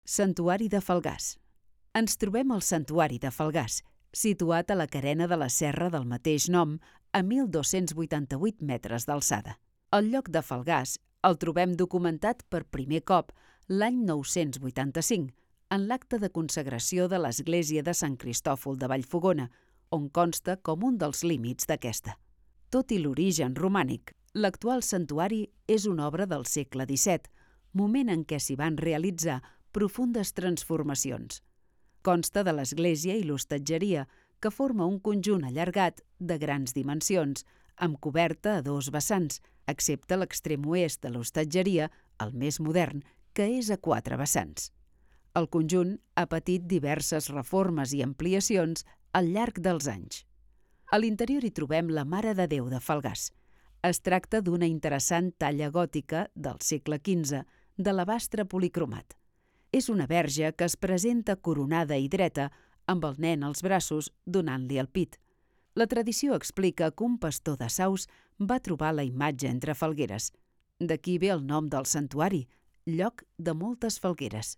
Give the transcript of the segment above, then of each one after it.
Santuari de Falgars. Ens trobem al Santuari de Falgars, situat a la carena de la serra del mateix nom, a 1.288 metres d'alçada. El lloc de Falgars el trobem documentat per primer cop l'any 985, en l'acte de consagració de l'església de Sant Cristòfol de Vallfogona, on consta com un dels límits d'aquesta. Tot i l'origen romànic, l'actual santuari és una obra del segle XVII, moment en què s'hi van realitzar profundes transformacions. Consta de l'església i l'hostatgeria, que forma un conjunt allargat de grans dimensions, amb coberta a dos vessants, excepte l'extrem oest de l'hostatgeria, el més modern, que és a 4 vessants. El conjunt ha patit diverses reformes i ampliacions al llarg dels anys. A l'interior hi trobem la Mare de Déu de Falgars. Es tracta d'una interessant talla gòtica del segle XV, de l'alabastre policromat. És una verge que es presenta coronada i dreta, amb el nen als braços, donant-li el pit. La tradició explica que un pastor de Saus va trobar la imatge entre falgueres. D'aquí ve el nom del santuari, lloc de moltes falgueres.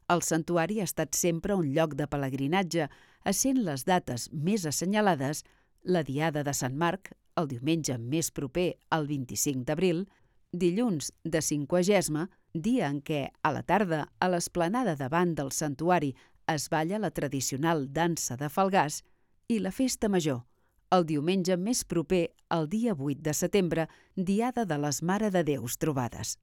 El santuari ha estat sempre un lloc de pelegrinatge, essent les dates més assenyalades la Diada de Sant Marc, el diumenge més proper al 25 d'abril, dilluns de Cinquagesma, dia en què, a la tarda, a l'esplanada davant del santuari es balla la tradicional dansa de Falgars, i la Festa Major, el diumenge més proper al dia 8 de setembre, Diada de les Mare de Déus Trobades.